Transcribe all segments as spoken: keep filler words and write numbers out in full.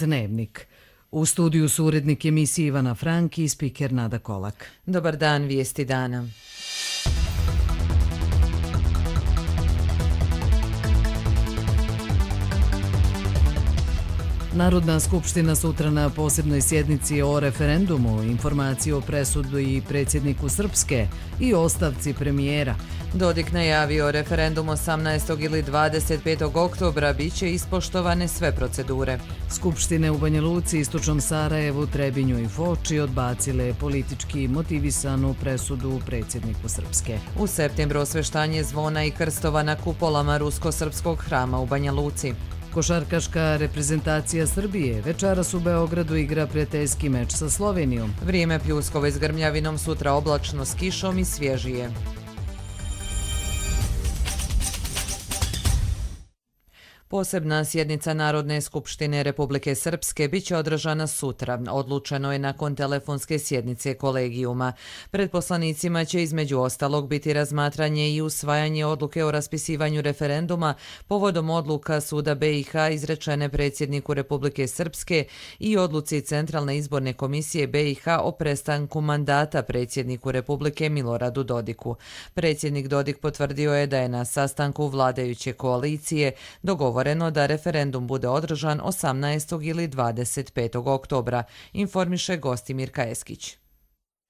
Dnevnik. U studiju su urednik emisije Ivana Franki i spiker Nada Kolak. Dobar dan, vijesti dana. Narodna skupština sutra na posebnoj sjednici o referendumu, informaciju o presudi predsjedniku Srpske i ostavci premijera. Dodik najavio referendum osamnaestog ili dvadeset petog oktobra bit će ispoštovane sve procedure. Skupštine u Banja Luci, Istočnom Sarajevu, Trebinju i Foči odbacile politički motivisanu presudu predsjedniku Srpske. U septembru osveštanje zvona i krstova na kupolama Rusko-srpskog hrama u Banja Luci. Košarkaška reprezentacija Srbije večeras u Beogradu igra prijateljski meč sa Slovenijom. Vrijeme pljuskove s grmljavinom, sutra oblačno s kišom i svježije. Posebna sjednica Narodne skupštine Republike Srpske bit će održana sutra. Odlučeno je nakon telefonske sjednice kolegijuma. Pred poslanicima će između ostalog biti razmatranje i usvajanje odluke o raspisivanju referenduma povodom odluka Suda B i H izrečene predsjedniku Republike Srpske i odluci Centralne izborne komisije B i H o prestanku mandata predsjedniku Republike Miloradu Dodiku. Predsjednik Dodik potvrdio je da je na sastanku vladajuće koalicije dogovoreno da referendum bude održan osamnaestog ili dvadeset petog oktobra, informiše Gostimir Kajeskić.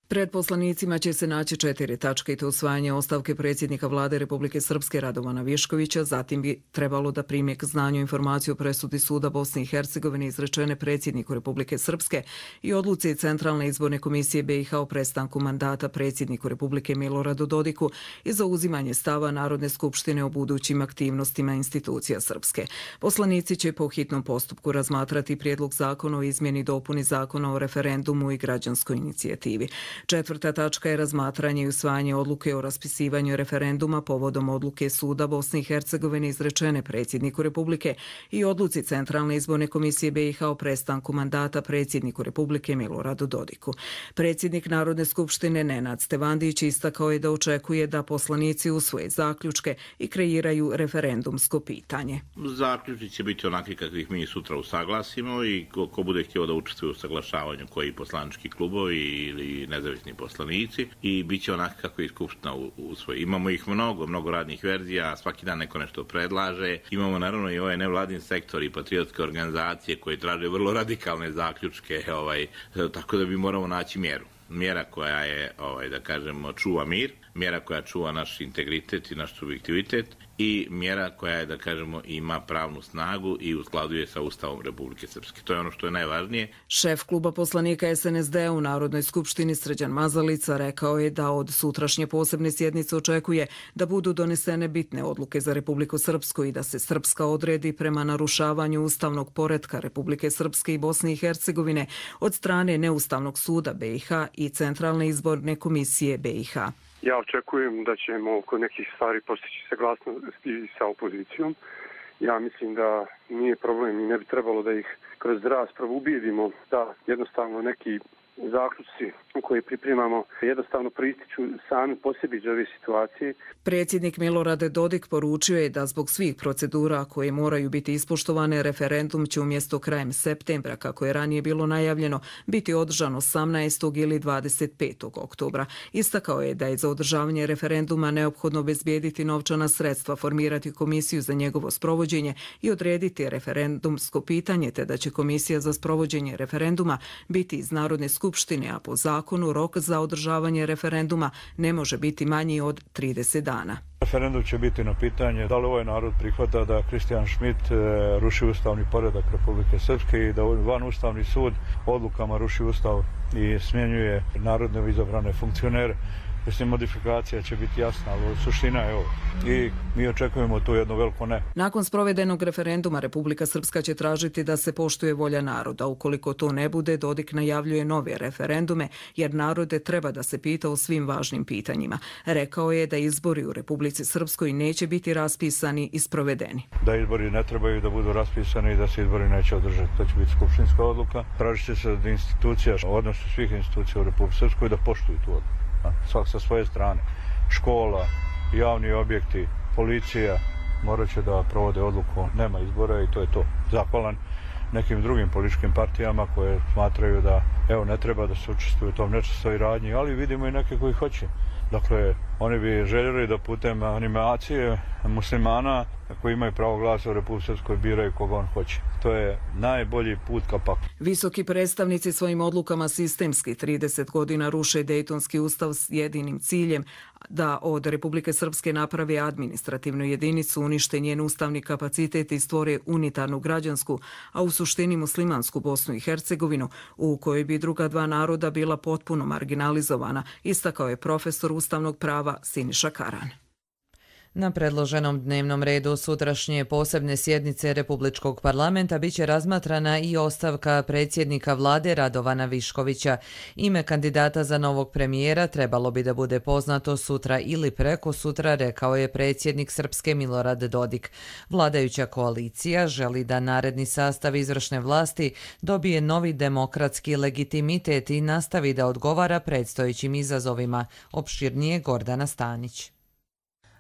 Pred poslanicima će se naći četiri tačke i to usvajanje ostavke predsjednika vlade Republike Srpske Radovana Viškovića, zatim bi trebalo da prime k znanju informaciju o presudi Suda Bosne i Hercegovine izrečene predsjedniku Republike Srpske i odluci Centralne izborne komisije B i H o prestanku mandata predsjedniku Republike Miloradu Dodiku i zauzimanje stava Narodne skupštine o budućim aktivnostima institucija Srpske. Poslanici će po hitnom postupku razmatrati prijedlog zakona o izmjeni i dopuni zakona o referendumu i građanskoj inicijativi. Četvrta tačka je razmatranje i usvajanje odluke o raspisivanju referenduma povodom odluke Suda Bosne i Hercegovine izrečene predsjedniku Republike i odluci Centralne izborne komisije B i H o prestanku mandata predsjedniku Republike Miloradu Dodiku. Predsjednik Narodne skupštine Nenad Stevandić istakao je da očekuje da poslanici usvoje zaključke i kreiraju referendumsko pitanje. Zaključci će biti onakvi kakvih mi sutra usaglasimo i ko, ko bude htio da učestvuje u saglašavanju koji poslanički klubovi ili nezavisni poslanici i bit će onako kako je Skupština usvoji. Imamo ih mnogo, mnogo radnih verzija, svaki dan neko nešto predlaže. Imamo naravno i ovaj nevladin sektor i patriotske organizacije koje traže vrlo radikalne zaključke, ovaj, tako da bi moramo naći mjeru. Mjera koja je, ovaj, da kažemo, čuva mir, mjera koja čuva naš integritet i naš subjektivitet i mjera koja je, da kažemo, ima pravnu snagu i uskladuje sa Ustavom Republike Srpske. To je ono što je najvažnije. Šef kluba poslanika S N S D u Narodnoj skupštini Srđan Mazalica rekao je da od sutrašnje posebne sjednice očekuje da budu donesene bitne odluke za Republiku Srpsku i da se Srpska odredi prema narušavanju ustavnog poretka Republike Srpske i Bosne i Hercegovine od strane Neustavnog suda B i H i Centralne izborne komisije B i H. Ja očekujem da ćemo kod nekih stvari postići saglasnosti sa opozicijom. Ja mislim da nije problem i ne bi trebalo da ih kroz raspravu ubijedimo da jednostavno neki zaključci koje pripremamo jednostavno proističu sami po sebi iz ove situacije. Predsjednik Milorad Dodik poručio je da zbog svih procedura koje moraju biti ispoštovane, referendum će umjesto krajem septembra, kako je ranije bilo najavljeno, biti održan osamnaestog ili dvadeset petog oktobra. Istakao je da je za održavanje referenduma neophodno obezbijediti novčana sredstva, formirati komisiju za njegovo sprovođenje i odrediti referendumsko pitanje, te da će komisija za sprovođenje referenduma biti iz Narodne skupštine, a po zakonu rok za održavanje referenduma ne može biti manji od trideset dana. Referendum će biti na pitanje da li ovaj narod prihvata da Kristijan Schmidt ruši ustavni poredak Republike Srpske i da van ustavni sud odlukama ruši ustav i smjenjuje narodne izabrane funkcionere. Mislim, modifikacija će biti jasna, ali suština je ovo. I mi očekujemo tu jedno veliko ne. Nakon sprovedenog referenduma Republika Srpska će tražiti da se poštuje volja naroda. Ukoliko to ne bude, Dodik najavljuje nove referendume, jer narode treba da se pita o svim važnim pitanjima. Rekao je da izbori u Republici Srpskoj neće biti raspisani i sprovedeni. Da izbori ne trebaju da budu raspisani i da se izbori neće održati. To će biti skupštinska odluka. Tražit će se od institucija, odnosno svih institucija u Republici Srpskoj da poštuju tu odluku. Svak sa svoje strane. Škola, javni objekti, policija morat će da provode odluku, nema izbora i to je to. Zahvalan nekim drugim političkim partijama koje smatraju da evo ne treba da se učestvuju u tom nečistoj radnji, ali vidimo i neke koji hoće. Dakle, oni bi željeli da putem animacije muslimana koji imaju pravo glasa u Republici Srpskoj biraju koga on hoće. To je najbolji put ka paklu. Visoki predstavnici svojim odlukama sistemski trideset godina ruše Dejtonski ustav s jedinim ciljem da od Republike Srpske napravi administrativnu jedinicu, unište njen ustavni kapacitet i stvore unitarnu građansku, a u suštini muslimansku Bosnu i Hercegovinu, u kojoj bi druga dva naroda bila potpuno marginalizovana, istakao je profesor ustavnog prava Siniša Karan. Na predloženom dnevnom redu sutrašnje posebne sjednice Republičkog parlamenta biće razmatrana i ostavka predsjednika vlade Radovana Viškovića. Ime kandidata za novog premijera trebalo bi da bude poznato sutra ili preko sutra, rekao je predsjednik Srpske Milorad Dodik. Vladajuća koalicija želi da naredni sastav izvršne vlasti dobije novi demokratski legitimitet i nastavi da odgovara predstojećim izazovima. Opširnije Gordana Stanić.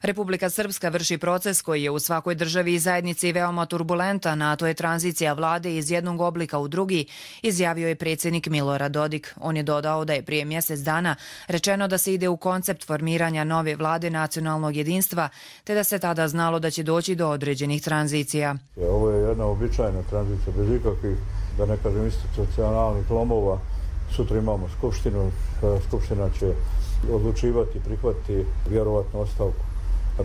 Republika Srpska vrši proces koji je u svakoj državi i zajednici veoma turbulentan, a to je tranzicija vlade iz jednog oblika u drugi, izjavio je predsjednik Milorad Dodik. On je dodao da je prije mjesec dana rečeno da se ide u koncept formiranja nove vlade nacionalnog jedinstva, te da se tada znalo da će doći do određenih tranzicija. Ovo je jedna običajna tranzicija bez ikakvih, da ne kažem, institucionalnih lomova. Sutra imamo skupštinu, skupština će odlučivati, prihvatiti vjerovatno ostavku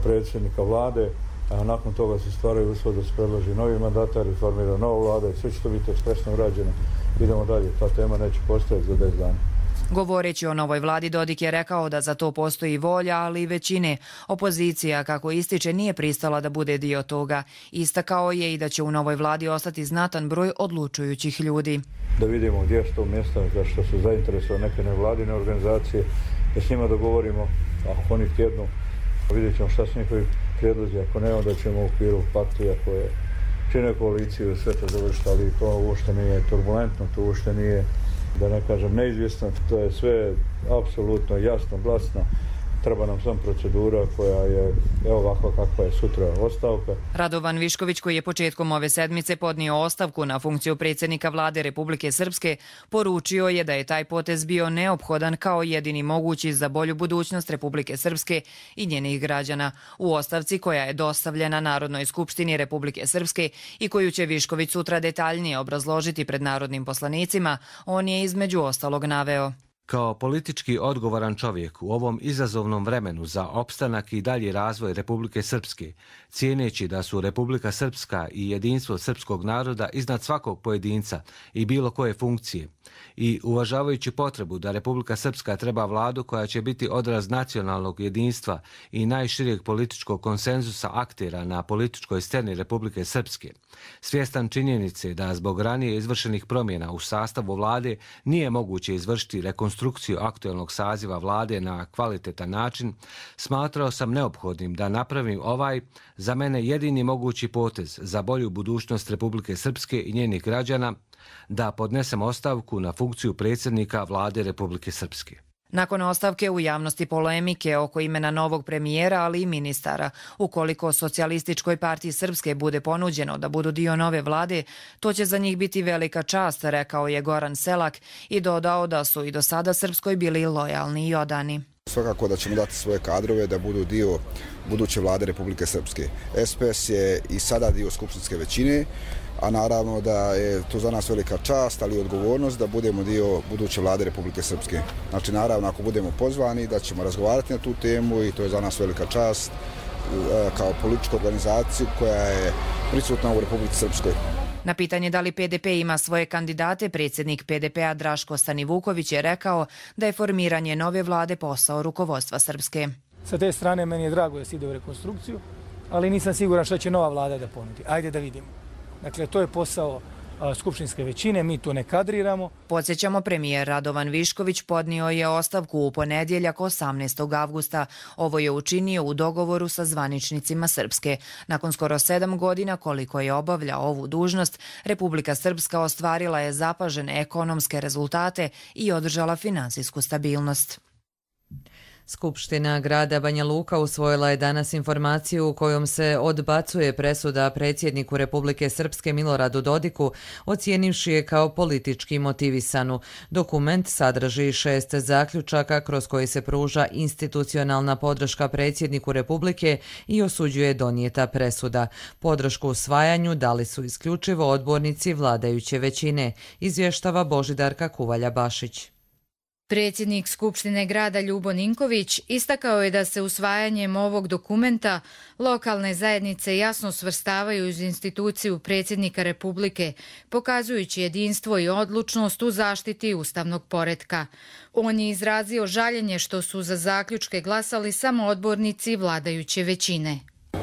predsjednika vlade, a nakon toga se stvaraju uslovi da se predloži novi mandatar i formira nova vlada i sve će to biti ekspresno urađeno. Idemo dalje, ta tema neće postojati za deset dana. Govoreći o novoj vladi, Dodik je rekao da za to postoji volja, ali i većine. Opozicija, kako ističe, nije pristala da bude dio toga. Istakao je i da će u novoj vladi ostati znatan broj odlučujućih ljudi. Da vidimo gdje su to mjesta za što su zainteresovane neke nevladine organizacije, da s njima dogovorimo, ako oni tjednu, vidjet ćemo šta su njihovi prijedlozi, ako ne, onda ćemo u okviru partija koje čine koaliciju sve to završiti, ali to uopšte nije turbulentno, to uopšte nije, da ne kažem, neizvjesno, to je sve apsolutno jasno, glasno. Treba nam sam procedura koja je evo ovakva kakva je sutra ostavka. Radovan Višković, koji je početkom ove sedmice podnio ostavku na funkciju predsjednika vlade Republike Srpske, poručio je da je taj potez bio neophodan kao jedini mogući za bolju budućnost Republike Srpske i njenih građana. U ostavci koja je dostavljena Narodnoj skupštini Republike Srpske i koju će Višković sutra detaljnije obrazložiti pred narodnim poslanicima, on je između ostalog naveo: kao politički odgovoran čovjek u ovom izazovnom vremenu za opstanak i dalji razvoj Republike Srpske, cijeneći da su Republika Srpska i jedinstvo srpskog naroda iznad svakog pojedinca i bilo koje funkcije, i uvažavajući potrebu da Republika Srpska treba vladu koja će biti odraz nacionalnog jedinstva i najširijeg političkog konsenzusa aktera na političkoj sceni Republike Srpske, svjestan činjenice da zbog ranije izvršenih promjena u sastavu vlade nije moguće izvršiti rekonstrukciju aktuelnog saziva vlade na kvalitetan način, smatrao sam neophodnim da napravim ovaj, za mene jedini mogući potez za bolju budućnost Republike Srpske i njenih građana, da podnesem ostavku na funkciju predsjednika vlade Republike Srpske. Nakon ostavke u javnosti polemike oko imena novog premijera, ali i ministara, ukoliko Socijalističkoj partiji Srpske bude ponuđeno da budu dio nove vlade, to će za njih biti velika čast, rekao je Goran Selak i dodao da su i do sada Srpskoj bili lojalni i odani. Svakako da ćemo dati svoje kadrove da budu dio buduće vlade Republike Srpske. S P S je i sada dio skupštinske većine, a naravno da je to za nas velika čast, ali i odgovornost da budemo dio buduće vlade Republike Srpske. Znači, naravno, ako budemo pozvani, da ćemo razgovarati na tu temu i to je za nas velika čast kao političku organizaciju koja je prisutna u Republici Srpskoj. Na pitanje da li P D P ima svoje kandidate, predsjednik P D P-a Draško Stanivuković je rekao da je formiranje nove vlade posao rukovodstva Srpske. Sa te strane meni je drago da se ide u rekonstrukciju, ali nisam siguran što će nova vlada da ponudi. Ajde da vidimo. Dakle, to je posao skupštinske većine, mi to ne kadriramo. Podsjećamo, premijer Radovan Višković podnio je ostavku u ponedjeljak osamnaestog avgusta. Ovo je učinio u dogovoru sa zvaničnicima Srpske. Nakon skoro sedam godina koliko je obavljao ovu dužnost, Republika Srpska ostvarila je zapažene ekonomske rezultate i održala finansijsku stabilnost. Skupština grada Banja Luka usvojila je danas informaciju u kojom se odbacuje presuda predsjedniku Republike Srpske Miloradu Dodiku, ocijenivši je kao politički motivisanu. Dokument sadrži šest zaključaka kroz koji se pruža institucionalna podrška predsjedniku Republike i osuđuje donijeta presuda. Podršku usvajanju dali su isključivo odbornici vladajuće većine, izvještava Božidarka Kuvalja-Bašić. Predsjednik Skupštine grada Ljubo Ninković istakao je da se usvajanjem ovog dokumenta lokalne zajednice jasno svrstavaju uz instituciju predsjednika Republike, pokazujući jedinstvo i odlučnost u zaštiti ustavnog poretka. On je izrazio žaljenje što su za zaključke glasali samo odbornici vladajuće većine.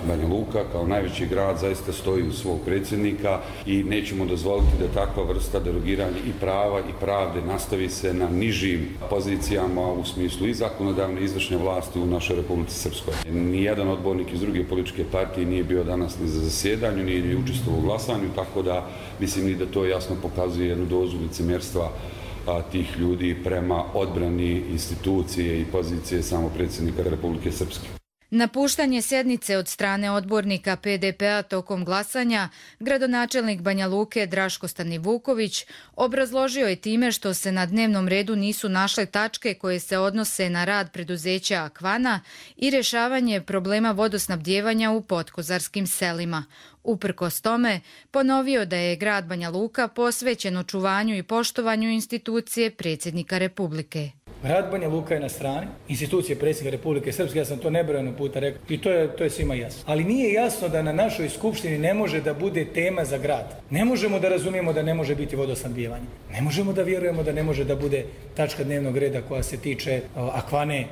Banja Luka kao najveći grad zaista stoji uz svog predsjednika i nećemo dozvoliti da takva vrsta derogiranja i prava i pravde nastavi se na nižim pozicijama u smislu i zakonodavne i izvršne vlasti u našoj Republici Srpskoj. Nijedan odbornik iz druge političke partije nije bio danas ni za zasjedanju, nije ni učestvovao u glasanju, tako da mislim i da to jasno pokazuje jednu dozu licemjerstva tih ljudi prema odbrani institucije i pozicije samo predsjednika Republike Srpske. Napuštanje sjednice od strane odbornika P D P-a tokom glasanja, gradonačelnik Banja Luke Draško Stanivuković obrazložio je time što se na dnevnom redu nisu našle tačke koje se odnose na rad preduzeća Akvana i rješavanje problema vodosnabdijevanja u podkozarskim selima. Uprkos tome, ponovio da je grad Banja Luka posvećen očuvanju i poštovanju institucije predsjednika Republike. Grad Banja Luka je na strani institucije predsjednika Republike Srpske, ja sam to nebrojeno puta rekao i to je, to je svima jasno. Ali nije jasno da na našoj skupštini ne može da bude tema za grad. Ne možemo da razumijemo da ne može biti vodosnabdijevanje. Ne možemo da vjerujemo da ne može da bude tačka dnevnog reda koja se tiče uh, Akvane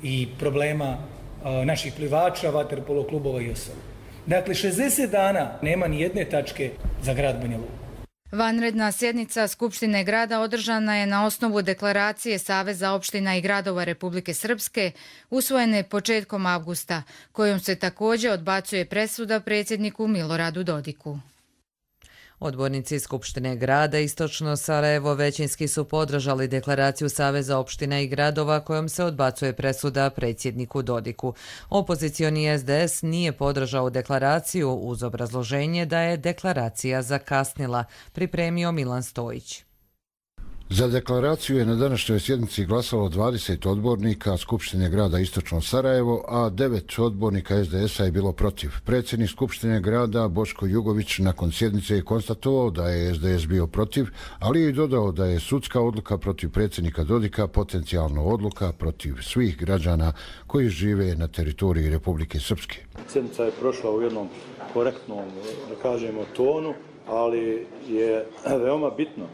i problema uh, naših plivača, vaterpolo klubova i ostalo. Dakle, šezdeset dana nema ni jedne tačke za grad Banja Luka. Vanredna sjednica Skupštine grada održana je na osnovu deklaracije Saveza opština i gradova Republike Srpske, usvojene početkom avgusta, kojom se također odbacuje presuda predsjedniku Miloradu Dodiku. Odbornici Skupštine grada Istočno Sarajevo većinski su podržali deklaraciju Saveza opština i gradova kojom se odbacuje presuda predsjedniku Dodiku. Opozicioni S D S nije podržao deklaraciju uz obrazloženje da je deklaracija zakasnila, pripremio Milan Stojić. Za deklaraciju je na današnjoj sjednici glasalo dvadeset odbornika Skupštine grada Istočno Sarajevo, a devet odbornika S D S-a je bilo protiv. Predsjednik Skupštine grada Boško Jugović nakon sjednice je konstatovao da je S D S bio protiv, ali je i dodao da je sudska odluka protiv predsjednika Dodika potencijalno odluka protiv svih građana koji žive na teritoriji Republike Srpske. Sjednica je prošla u jednom korektnom, da kažemo, tonu, ali je veoma bitno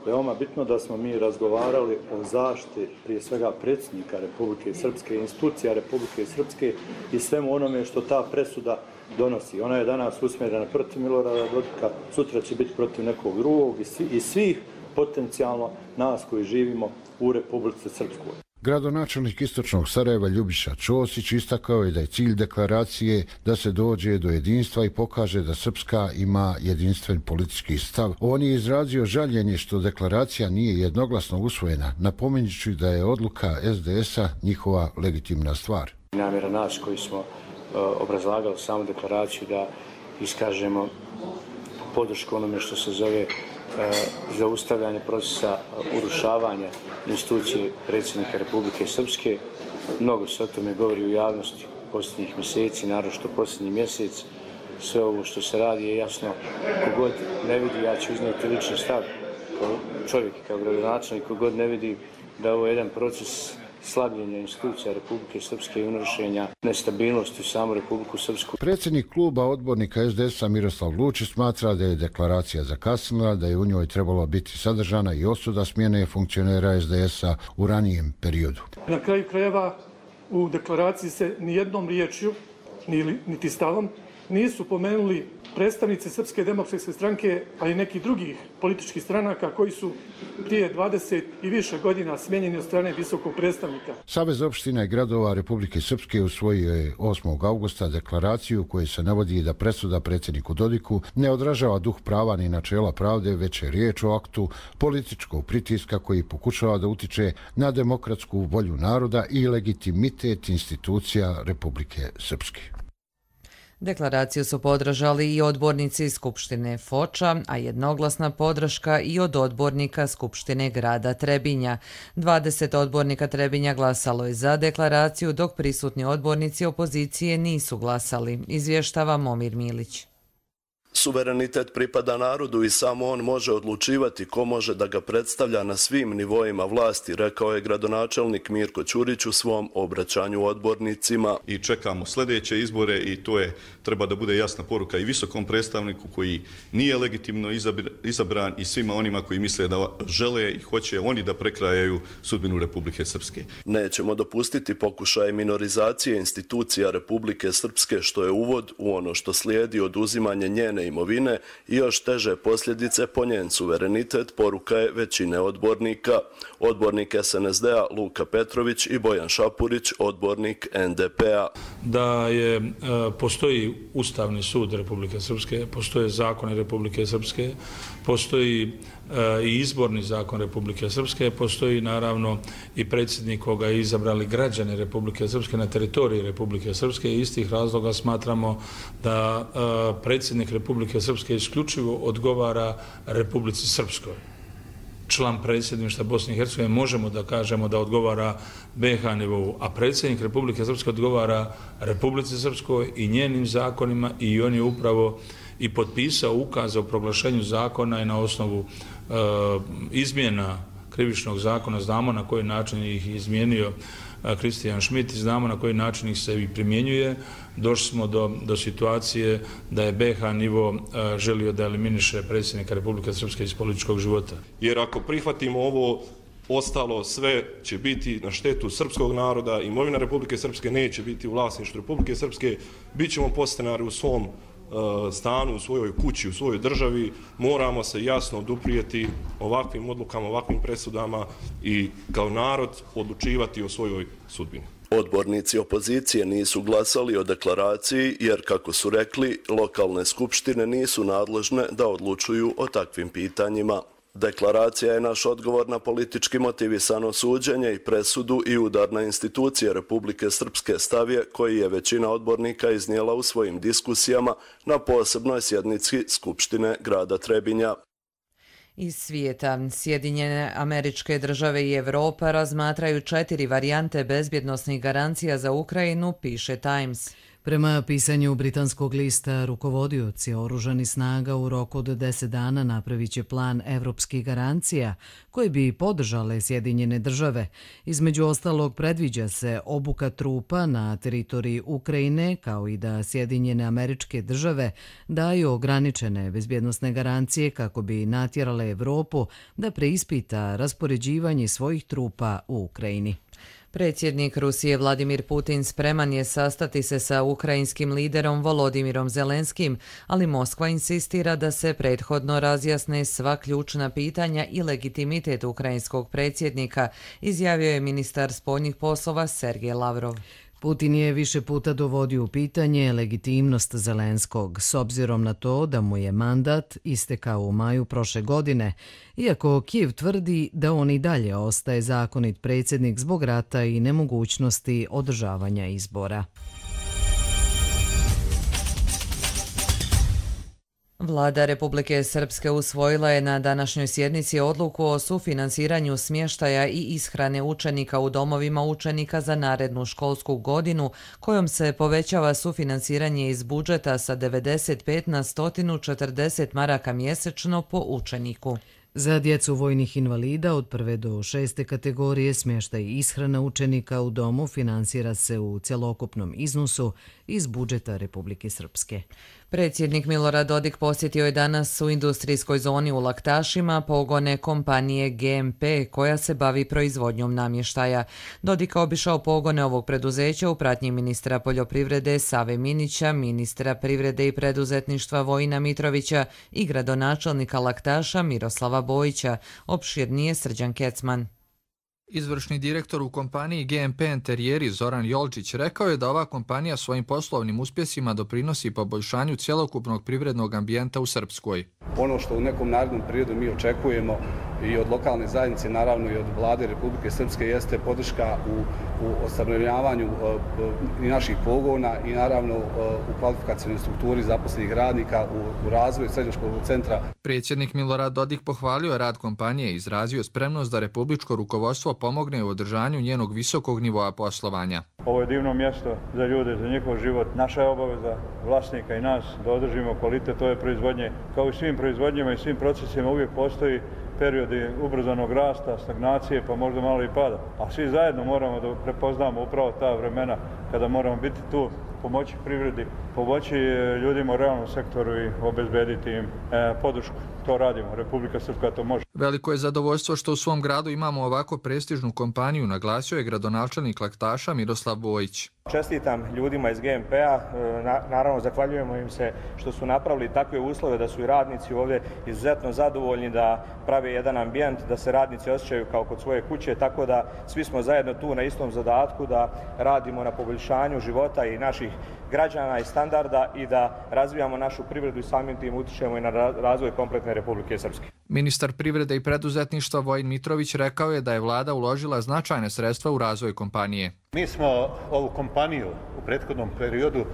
Veoma bitno da smo mi razgovarali o zaštiti prije svega predsjednika Republike Srpske, institucija Republike Srpske i svemu onome što ta presuda donosi. Ona je danas usmjerena protiv Milorada Dodika, sutra će biti protiv nekog drugog i, svi, i svih potencijalno nas koji živimo u Republici Srpskoj. Gradonačelnik Istočnog Sarajeva Ljubiša Ćosić istakao je da je cilj deklaracije da se dođe do jedinstva i pokaže da Srpska ima jedinstven politički stav. On je izrazio žaljenje što deklaracija nije jednoglasno usvojena, napominjući da je odluka S D S-a njihova legitimna stvar. Namjera nas koji smo uh, obrazlagali samu deklaraciju da iskažemo podršku onome što se zove zaustavljanje procesa urušavanja institucije predsjednika Republike Srpske. Mnogo se o tome govori u javnosti posljednjih mjeseci, naročito posljednji mjesec. Sve ovo što se radi je jasno. Kogod ne vidi, ja ću iznijeti lični stav kao čovjek, kao gradonačelnik, kogod ne vidi da ovo je jedan proces slabljenja institucija Republike Srpske i unarušenja nestabilnosti u samu Republiku Srpsku. Predsjednik kluba odbornika S D S-a Miroslav Lučić smatra da je deklaracija zakasnila, da je u njoj trebalo biti sadržana i osuda smjene funkcionera S D S-a u ranijem periodu. Na kraju krajeva u deklaraciji se nijednom riječju, niti stavom, nisu pomenuli predstavnici Srpske demokratske stranke, ali i nekih drugih političkih stranaka koji su prije dvadeset i više godina smijenjeni od strane visokog predstavnika. Savez opština i gradova Republike Srpske usvojio je osmog avgusta deklaraciju koju se navodi da presuda predsjedniku Dodiku ne odražava duh prava ni načela pravde, već je riječ o aktu političkog pritiska koji pokušava da utiče na demokratsku volju naroda i legitimitet institucija Republike Srpske. Deklaraciju su podržali i odbornici Skupštine Foča, a jednoglasna podrška i od odbornika Skupštine grada Trebinja. dvadeset odbornika Trebinja glasalo je za deklaraciju, dok prisutni odbornici opozicije nisu glasali, izvještava Momir Milić. Suverenitet pripada narodu i samo on može odlučivati ko može da ga predstavlja na svim nivoima vlasti, rekao je gradonačelnik Mirko Ćurić u svom obraćanju odbornicima. I čekamo sljedeće izbore i to je treba da bude jasna poruka i visokom predstavniku koji nije legitimno izabran i svima onima koji misle da žele i hoće oni da prekrajaju sudbinu Republike Srpske. Nećemo dopustiti pokušaje minorizacije institucija Republike Srpske, što je uvod u ono što slijedi oduzimanje njene imovine i još teže posljedice po njen suverenitet, poruka je većine odbornika. Odbornik S N S D-a Luka Petrović i Bojan Šapurić, odbornik N D P-a. Da je, postoji Ustavni sud Republike Srpske, postoje zakoni Republike Srpske, postoji i izborni zakon Republike Srpske, postoji naravno i predsjednik koga je izabrali građani Republike Srpske na teritoriji Republike Srpske i iz tih razloga smatramo da predsjednik Republike Srpske isključivo odgovara Republici Srpskoj. Član predsjedništva Bosne i Hercegovine možemo da kažemo da odgovara B H nivou, a predsjednik Republike Srpske odgovara Republici Srpskoj i njenim zakonima i on je upravo i potpisao ukaz o proglašenju zakona i na osnovu e, izmjena krivičnog zakona, znamo na koji način ih izmijenio Kristijan Šmit i znamo na koji način ih se i primjenjuje. Došli smo do, do situacije da je B H nivo e, želio da eliminiše predsjednika Republike Srpske iz političkog života. Jer ako prihvatimo ovo, ostalo sve će biti na štetu srpskog naroda, imovina Republike Srpske neće biti u vlasništvu Republike Srpske, bit ćemo podstanari u svom stanu, u svojoj kući, u svojoj državi, moramo se jasno oduprijeti ovakvim odlukama, ovakvim presudama i kao narod odlučivati o svojoj sudbini. Odbornici opozicije nisu glasali o deklaraciji jer, kako su rekli, lokalne skupštine nisu nadležne da odlučuju o takvim pitanjima. Deklaracija je naš odgovor na politički motivisano suđenje i presudu i udar na institucije Republike Srpske, stav je koji je većina odbornika iznijela u svojim diskusijama na posebnoj sjednici Skupštine grada Trebinja. Iz svijeta, Sjedinjene Američke Države i Evropa razmatraju četiri varijante bezbjednosnih garancija za Ukrajinu, piše Times. Prema pisanju britanskog lista, rukovodioci oružanih snaga u roku od deset dana napravit će plan evropskih garancija koje bi podržale Sjedinjene Države. Između ostalog predviđa se obuka trupa na teritoriji Ukrajine, kao i da Sjedinjene Američke Države daju ograničene bezbjednosne garancije kako bi natjerale Evropu da preispita raspoređivanje svojih trupa u Ukrajini. Predsjednik Rusije Vladimir Putin spreman je sastati se sa ukrajinskim liderom Volodimirom Zelenskim, ali Moskva insistira da se prethodno razjasne sva ključna pitanja i legitimitet ukrajinskog predsjednika, izjavio je ministar spoljnih poslova Sergej Lavrov. Putin je više puta dovodio u pitanje legitimnost Zelenskog, s obzirom na to da mu je mandat istekao u maju prošle godine, iako Kijev tvrdi da on i dalje ostaje zakonit predsjednik zbog rata i nemogućnosti održavanja izbora. Vlada Republike Srpske usvojila je na današnjoj sjednici odluku o sufinansiranju smještaja i ishrane učenika u domovima učenika za narednu školsku godinu, kojom se povećava sufinansiranje iz budžeta sa devedeset pet na sto četrdeset maraka mjesečno po učeniku. Za djecu vojnih invalida od prve do šeste kategorije smještaj i ishrana učenika u domu finansira se u cjelokupnom iznosu iz budžeta Republike Srpske. Predsjednik Milorad Dodik posjetio je danas u industrijskoj zoni u Laktašima pogone kompanije G M P koja se bavi proizvodnjom namještaja. Dodik obišao pogone ovog preduzeća u pratnji ministra poljoprivrede Save Minića, ministra privrede i preduzetništva Vojina Mitrovića i gradonačelnika Laktaša Miroslava Bojića, opširnije Srđan Kecman. Izvršni direktor u kompaniji G M P Enterijeri Zoran Jolčić rekao je da ova kompanija svojim poslovnim uspjesima doprinosi poboljšanju cjelokupnog privrednog ambijenta u Srpskoj. Ono što u nekom narednom periodu mi očekujemo i od lokalne zajednice, naravno i od vlade Republike Srpske, jeste podrška u, u ostavljavanju i naših pogona i naravno u kvalifikacijnoj strukturi zaposlenih radnika u, u razvoju srednjoškolskog centra. Predsjednik Milorad Dodik pohvalio je rad kompanije i izrazio spremnost da republičko rukovodstvo pomogne u održanju njenog visokog nivoa poslovanja. Ovo je divno mjesto za ljude, za njihov život. Naša je obaveza vlasnika i nas da održimo kvalitet ove proizvodnje. Kao i svim proizvodnjama i svim procesima uvijek postoji periodi ubrzanog rasta, stagnacije, pa možda malo i pada. A svi zajedno moramo da prepoznamo upravo ta vremena kada moramo biti tu, pomoći privredi, pomoći ljudima u realnom sektoru i obezbediti im e, podršku. To radimo, Republika Srpska to može. Veliko je zadovoljstvo što u svom gradu imamo ovako prestižnu kompaniju, naglasio je gradonačelnik Laktaša Miroslav Bojić. Čestitam ljudima iz G M P-a, naravno zahvaljujemo im se što su napravili takve uslove da su i radnici ovdje izuzetno zadovoljni, da prave jedan ambijent, da se radnici osjećaju kao kod svoje kuće, tako da svi smo zajedno tu na istom zadatku da radimo na poboljšanju života i naših građana i standarda i da razvijamo našu privredu i samim tim utičemo i na razvoj kompletne Republike Srpske. Ministar privrede i preduzetništva Vojin Mitrović rekao je da je vlada uložila značajne sredstva u razvoj kompanije. Mi smo ovu kompaniju u prethodnom periodu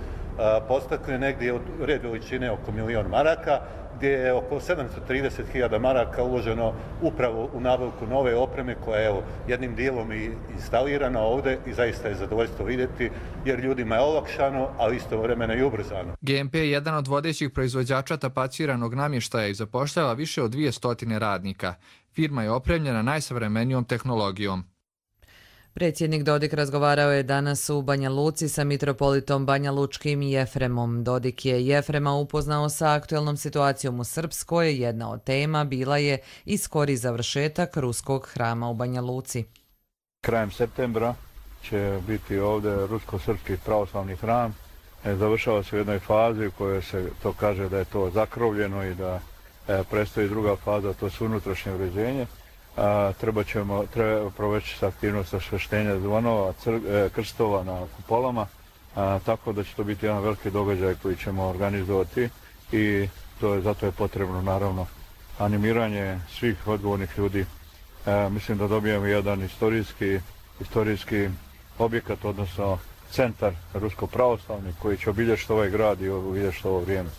postakli negdje od red veličine oko milion maraka, gdje je oko sedamsto trideset hiljada maraka uloženo upravo u nabavku nove opreme koja je evo, jednim dijelom i instalirana ovdje i zaista je zadovoljstvo vidjeti jer ljudima je olakšano, ali istovremeno i ubrzano. G M P je jedan od vodećih proizvođača tapaciranog namještaja i zapošljava više od dvije stotine radnika. Firma je opremljena najsavremenijom tehnologijom. Predsjednik Dodik razgovarao je danas u Banja Luci sa mitropolitom Banja Lučkim Jefremom. Dodik je Jefrema upoznao sa aktuelnom situacijom u Srpskoj. Jedna od tema bila je i skori završetak ruskog hrama u Banja Luci. Krajem septembra će biti ovdje rusko-srpski pravoslavni hram. Završava se u jednoj fazi u kojoj se to kaže da je to zakrovljeno i da predstoji druga faza, to su unutrašnje uređenje. A, treba ćemo treba proveći sa aktivnost osveštenja zvonova, cr, e, krstova na kupolama, a, tako da će to biti jedan veliki događaj koji ćemo organizovati i to je, zato je potrebno naravno animiranje svih odgovornih ljudi. E, mislim da dobijemo jedan istorijski, istorijski objekat, odnosno centar rusko-pravoslavni koji će obilježiti ovaj grad i obilježiti ovo vrijeme.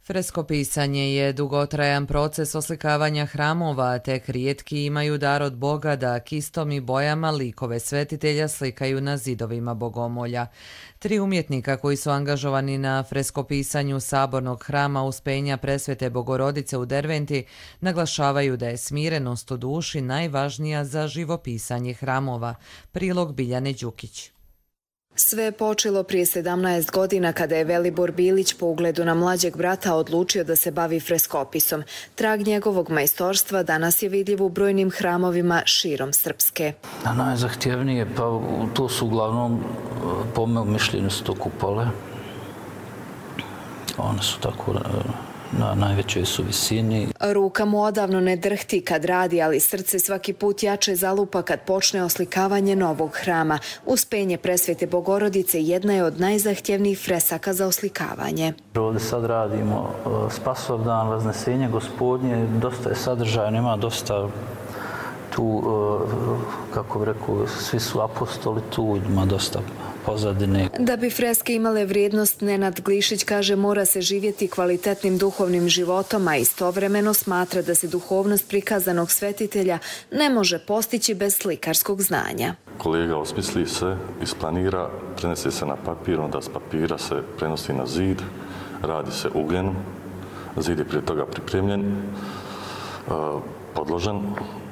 Freskopisanje je dugotrajan proces oslikavanja hramova, tek rijetki imaju dar od Boga da kistom i bojama likove svetitelja slikaju na zidovima bogomolja. Tri umjetnika koji su angažovani na freskopisanju sabornog hrama Uspenja Presvete Bogorodice u Derventi naglašavaju da je smirenost u duši najvažnija za živopisanje hramova. Prilog Biljane Đukić. Sve je počelo prije sedamnaest godina kada je Velibor Bilić po ugledu na mlađeg brata odlučio da se bavi freskopisom. Trag njegovog majstorstva danas je vidljiv u brojnim hramovima širom Srpske. A najzahtjevnije, pa to su uglavnom, po mojom mišljenju, su to kupole. One su tako na najvećoj su visini. Ruka mu odavno ne drhti kad radi, ali srce svaki put jače zalupa kad počne oslikavanje novog hrama. Uspenje Presvete Bogorodice jedna je od najzahtjevnijih fresaka za oslikavanje. Ovdje sad radimo Spasovdan, Vaznesenje Gospodnje, dosta je sadržajno, ima dosta tu, kako bih rekao, svi su apostoli tu, ima dosta pozadine. Da bi freske imale vrijednost, Nenad Glišić kaže mora se živjeti kvalitetnim duhovnim životom, a istovremeno smatra da se duhovnost prikazanog svetitelja ne može postići bez slikarskog znanja. Kolega osmisli se, isplanira, prenese se na papir, onda s papira se prenosi na zid, radi se ugljenom, zid je prije toga pripremljen, podložen,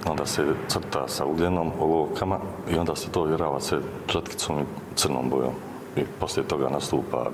onda se crta sa ugljenom, olovkama i onda se to ovjerava se četkicom i crnom bojom. I poslije toga nastupa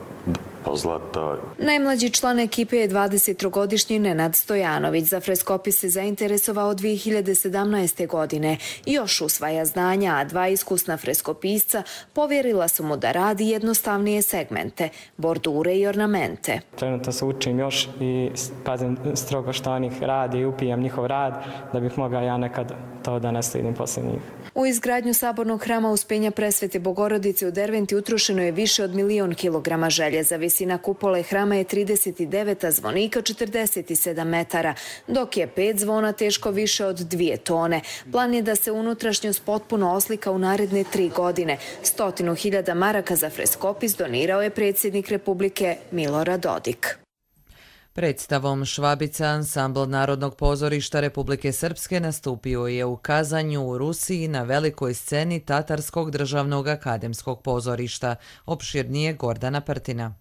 pa zlata. Najmlađi član ekipe je dvadesettrogodišnji Nenad Stojanović. Za freskopis se zainteresovao dvije hiljade sedamnaeste. godine. Još usvaja znanja, a dva iskusna freskopisca povjerila su mu da radi jednostavnije segmente, bordure i ornamente. Trenutno se učim još i pazim strogo što oni radi i upijam njihov rad da bih mogao ja nekad to da naslijedim poslije njih. U izgradnju sabornog hrama Uspenja Presvete Bogorodice u Derventi utrošeno je više od milion kilograma željeza. Visina kupole hrama je trideset devet, a zvonika četrdeset sedam metara, dok je pet zvona teško više od dvije tone. Plan je da se unutrašnjost potpuno oslika u naredne tri godine. Stotinu hiljada maraka za freskopis donirao je predsjednik Republike Milorad Dodik. Predstavom Švabica ansambl Narodnog pozorišta Republike Srpske nastupio je u Kazanju u Rusiji na velikoj sceni Tatarskog državnog akademskog pozorišta. Opširnije Gordana Prtina.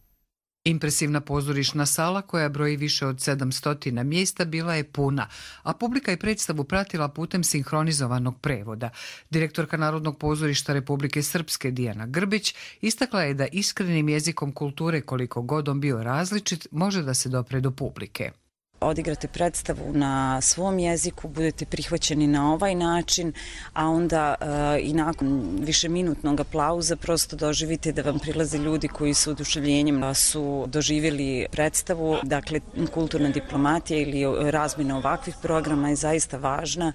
Impresivna pozorišna sala koja broji više od sedamsto mjesta bila je puna, a publika je predstavu pratila putem sinhronizovanog prevoda. Direktorka Narodnog pozorišta Republike Srpske Dijana Grbić istakla je da iskrenim jezikom kulture, koliko god on bio različit, može da se dopre do publike. Odigrate predstavu na svom jeziku, budete prihvaćeni na ovaj način, a onda e, i nakon višeminutnog aplauza prosto doživite da vam prilaze ljudi koji su oduševljenjem su doživjeli predstavu. Dakle, kulturna diplomatija ili razmjena ovakvih programa je zaista važna,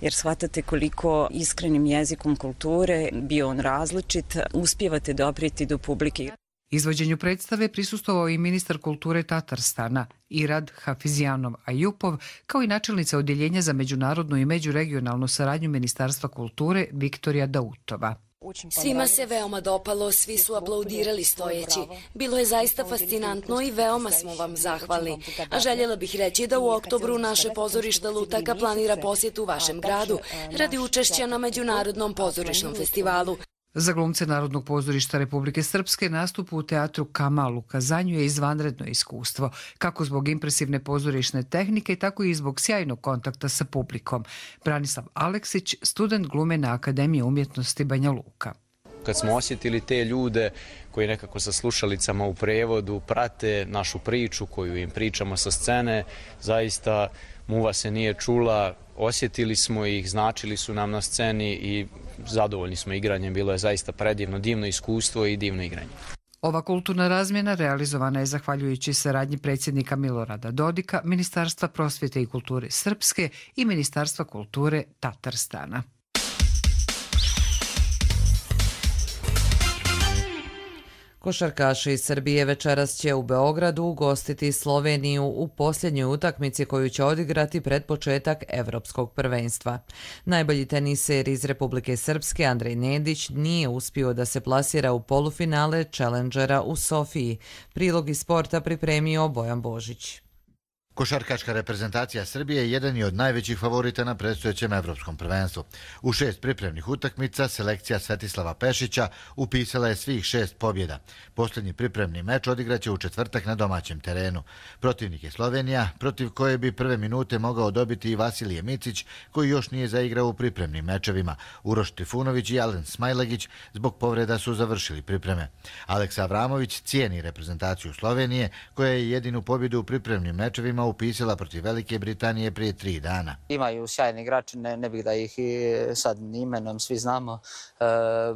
jer shvatate koliko iskrenim jezikom kulture, bio on različit, uspijevate doprijeti do publike. Izvođenju predstave prisustvovao i ministar kulture Tatarstana Irad Hafizjanov Ajupov, kao i načelnica Odjeljenja za međunarodnu i međuregionalnu saradnju Ministarstva kulture Viktorija Dautova. Svima se veoma dopalo, svi su aplaudirali stojeći. Bilo je zaista fascinantno i veoma smo vam zahvalni. A željela bih reći da u oktobru naše pozorište Lutaka planira posjetu vašem gradu radi učešća na Međunarodnom pozorišnom festivalu. Za glumce Narodnog pozorišta Republike Srpske nastup u teatru Kamal u Kazanju je izvanredno iskustvo, kako zbog impresivne pozorišne tehnike, tako i zbog sjajnog kontakta sa publikom. Branislav Aleksić, student glume na Akademiji umjetnosti Banja Luka. Kad smo osjetili te ljude koji nekako sa slušalicama u prevodu prate našu priču koju im pričamo sa scene, zaista muva se nije čula, osjetili smo ih, značili su nam na sceni i zadovoljni smo igranjem. Bilo je zaista predivno, divno iskustvo i divno igranje. Ova kulturna razmjena realizovana je zahvaljujući saradnji predsjednika Milorada Dodika, Ministarstva prosvjete i kulture Srpske i Ministarstva kulture Tatarstana. Košarkaši iz Srbije večeras će u Beogradu ugostiti Sloveniju u posljednjoj utakmici koju će odigrati pred početak Evropskog prvenstva. Najbolji teniser iz Republike Srpske Andrej Nedić nije uspio da se plasira u polufinale Challengera u Sofiji. Prilog iz sporta pripremio Bojan Božić. Košarkaška reprezentacija Srbije jedan je od najvećih favorita na predstojećem evropskom prvenstvu. U šest pripremnih utakmica selekcija Svetislava Pešića upisala je svih šest pobjeda. Posljednji pripremni meč odigraće u četvrtak na domaćem terenu. Protivnik je Slovenija, protiv koje bi prve minute mogao dobiti i Vasilije Micić, koji još nije zaigrao u pripremnim mečevima. Uroš Trifunović i Alen Smajlagić zbog povreda su završili pripreme. Aleksa Avramović cijeni reprezentaciju Slovenije, koja je jedinu pobjedu u pripremnim mečevima upisala protiv Velike Britanije prije tri dana. Imaju sjajni igrači, ne, ne bih da ih sad imenom svi znamo. E,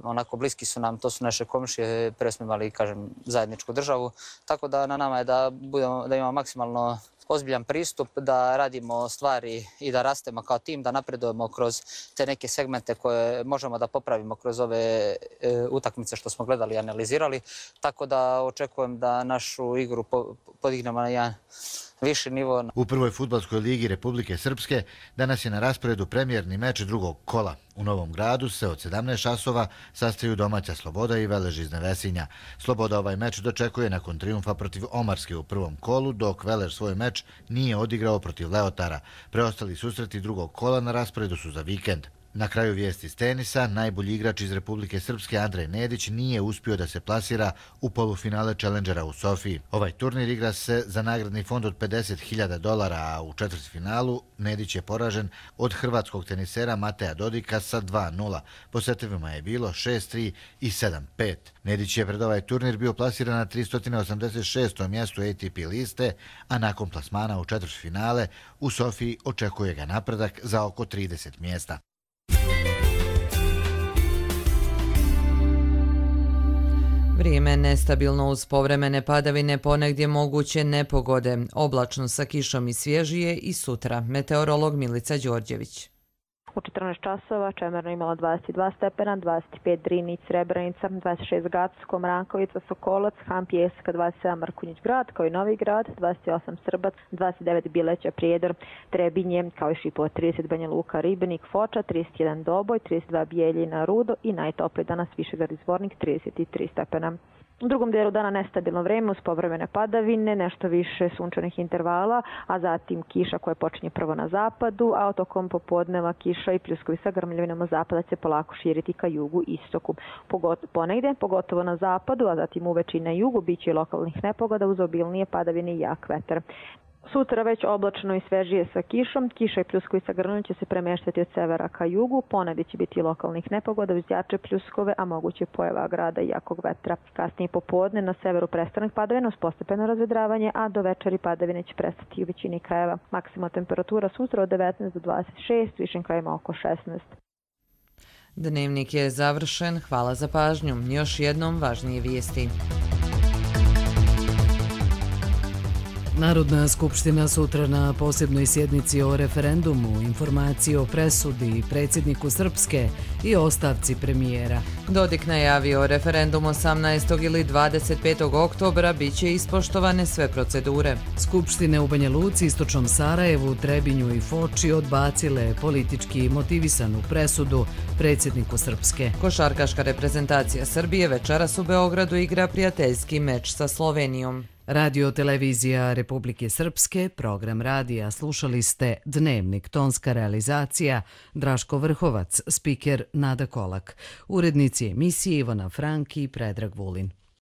onako bliski su nam, to su naše komšije, pre smo imali, kažem, zajedničku državu. Tako da na nama je da, budemo, da imamo maksimalno ozbiljan pristup, da radimo stvari i da rastemo kao tim, da napredujemo kroz te neke segmente koje možemo da popravimo kroz ove e, utakmice što smo gledali i analizirali. Tako da očekujem da našu igru po, podignemo na jedan viši nivo. U prvoj fudbalskoj ligi Republike Srpske danas je na rasporedu premijerni meč drugog kola. U Novom Gradu se od sedamnaest časova sastaju domaća Sloboda i Velež iz Nevesinja. Sloboda ovaj meč dočekuje nakon trijumfa protiv Omarske u prvom kolu, dok Velež svoj meč nije odigrao protiv Leotara. Preostali susreti drugog kola na rasporedu su za vikend. Na kraju vijesti iz tenisa, najbolji igrač iz Republike Srpske Andrej Nedić nije uspio da se plasira u polufinale Challengera u Sofiji. Ovaj turnir igra se za nagradni fond od pedeset hiljada dolara, a u četvrtfinalu Nedić je poražen od hrvatskog tenisera Mateja Dodika sa dva nula. Po setovima je bilo šest tri i sedam pet. Nedić je pred ovaj turnir bio plasiran na tristo osamdeset šestom mjestu A T P liste, a nakon plasmana u četvrtfinale u Sofiji očekuje ga napredak za oko trideset mjesta. Vrijeme je nestabilno uz povremene padavine, ponegdje moguće nepogode, oblačno sa kišom i svježije i sutra. Meteorolog Milica Đorđević. U četrnaest časova Čemerno imala dvadeset dva stepena, dvadeset pet Drinić, Srebrenica, dvadeset šest Gacko, Mrankovica, Sokolac, Han Pijeska, dvadeset sedam Mrkonjić Grad, kao i Novi Grad, dvadeset osam Srbac, dvadeset devet Bileća, Prijedor, Trebinje, kao i Šipova, trideset Banja Luka, Ribnik, Foča, trideset jedan Doboj, trideset dva Bijeljina, Rudo i najtopliji danas Višegrad i Zvornik, trideset tri stepena. U drugom dijelu dana nestabilno vreme uz povremene padavine, nešto više sunčanih intervala, a zatim kiša koja počinje prvo na zapadu, a tokom popodneva kiša i pljuskovi sa grmljavinama zapada će polako širiti ka jugu i istoku. Ponegdje, pogotovo na zapadu, a zatim uveče i na jugu, bit će i lokalnih nepogoda uz obilnije padavine i jak vetar. Sutra već oblačno i svežije sa kišom, kiša i pljuskovi sa grmljavinama će se premeštati od severa ka jugu, ponegdje će biti i lokalnih nepogoda uz jače pljuskove, a moguće pojava grada i jakog vetra. Kasnije popodne na severu prestanak padavina uz postepeno razvedravanje, a do večeri padavine će prestati u većini krajeva. Maksimalna temperatura sutra od devetnaest do dvadeset šest, višim krajima oko šesnaest. Dnevnik je završen, hvala za pažnju. Još jednom važnije vijesti. Narodna skupština sutra na posebnoj sjednici o referendumu, informaciji o presudi predsjedniku Srpske i ostavci premijera. Dodik najavio referendum osamnaestog ili dvadeset petog oktobra bit će ispoštovane sve procedure. Skupštine u Banja Luci, Istočnom Sarajevu, Trebinju i Foči odbacile politički motivisanu presudu predsjedniku Srpske. Košarkaška reprezentacija Srbije večeras u Beogradu igra prijateljski meč sa Slovenijom. Radio televizija Republike Srpske, program radija, slušali ste Dnevnik, tonska realizacija, Draško Vrhovac, spiker Nada Kolak, urednici emisije Ivana Franki i Predrag Vulin.